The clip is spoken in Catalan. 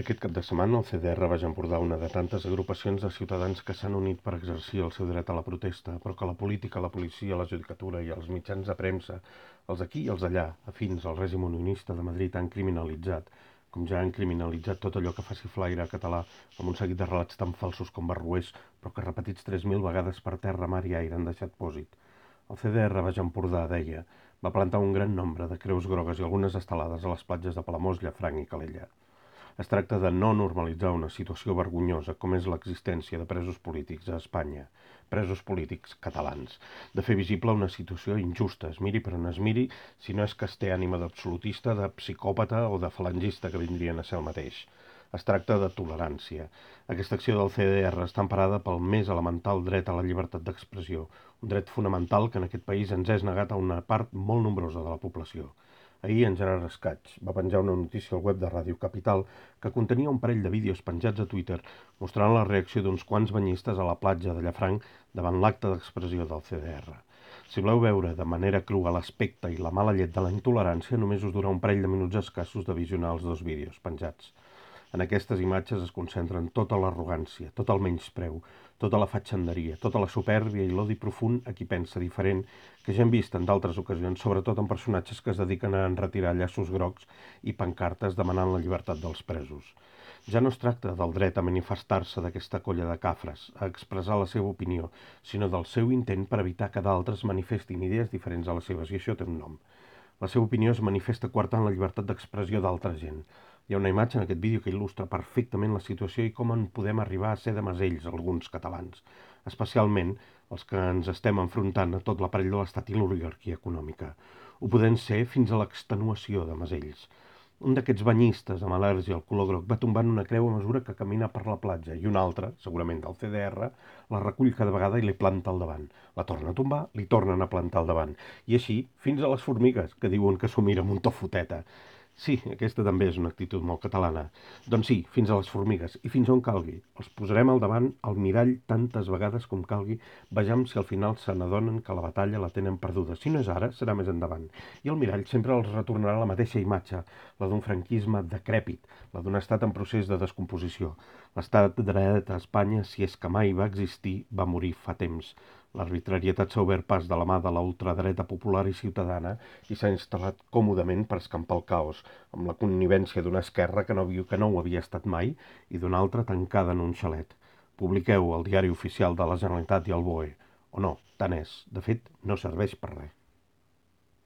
Aquest cap de setmana el CDR Baix Empordà, una de tantes agrupacions de ciutadans que s'han unit per exercir el seu dret a la protesta, però que la política, la policia, la judicatura i els mitjans de premsa, els d'aquí i els d'allà, afins al règim unionista de Madrid, han criminalitzat, com ja han criminalitzat tot allò que faci flaire català, amb un seguit de relats tan falsos com barroers, però que repetits 3.000 vegades per terra, mar i aire han deixat pòsit. El CDR Baix Empordà, deia, va plantar un gran nombre de creus grogues i algunes estelades a les platges de Palamós, Llafranc i Calella. Es tracta de no normalitzar una situació vergonyosa com és l'existència de presos polítics a Espanya, presos polítics catalans, de fer visible una situació injusta, es miri per on es miri, si no és que es té ànima d'absolutista, de psicòpata o de falangista, que vindrien a ser el mateix. Es tracta de tolerància. Aquesta acció del CDR està emparada pel més elemental dret a la llibertat d'expressió, un dret fonamental que en aquest país ens és negat a una part molt nombrosa de la població. Ahir en Gerard Escaig va penjar una notícia al web de Ràdio Capital que contenia un parell de vídeos penjats a Twitter mostrant la reacció d'uns quants banyistes a la platja de Llafranc davant l'acte d'expressió del CDR. Si voleu veure de manera crua l'aspecte i la mala llet de la intolerància, només us durà un parell de minuts escassos de visionar els dos vídeos penjats. En aquestes imatges es concentren tota l'arrogància, tot el menyspreu, tota la fatxenderia, tota la supèrbia i l'odi profund a qui pensa diferent, que ja hem vist en d'altres ocasions, sobretot en personatges que es dediquen a enretirar llaços grocs i pancartes demanant la llibertat dels presos. Ja no es tracta del dret a manifestar-se d'aquesta colla de cafres, a expressar la seva opinió, sinó del seu intent per evitar que d'altres manifestin idees diferents a les seves, i això té un nom. La seva opinió es manifesta coartant la llibertat d'expressió d'altra gent. Hi ha una imatge en aquest vídeo que il·lustra perfectament la situació i com en podem arribar a ser de masells alguns catalans, especialment els que ens estem enfrontant a tot l'aparell de l'estat i l'oligarquia econòmica. Ho podem ser fins a l'extenuació de masells. Un d'aquests banyistes amb al·lèrgia al color groc va tombant una creu a mesura que camina per la platja i un altre, segurament del CDR, la recull cada vegada i li planta al davant. La torna a tombar, li tornen a plantar al davant. I així fins a les formigues, que diuen que s'ho mira amb un to foteta. Sí, aquesta també és una actitud molt catalana. Doncs sí, fins a les formigues i fins on calgui. Els posarem al davant al mirall tantes vegades com calgui. Vejam si al final se n'adonen que la batalla la tenen perduda. Si no és ara, serà més endavant. I el mirall sempre els retornarà la mateixa imatge, la d'un franquisme decrèpit, la d'un estat en procés de descomposició. L'estat de dret a Espanya, si és que mai va existir, va morir fa temps. L'arbitrarietat s'ha obert pas de la mà de la ultradreta popular i ciutadana i s'ha instal·lat còmodament per escampar el caos, amb la connivència d'una esquerra que no ho havia estat mai i d'una altra tancada en un xalet. Publiqueu el diari oficial de la Generalitat i el BOE. O no, tant és. De fet, no serveix per res.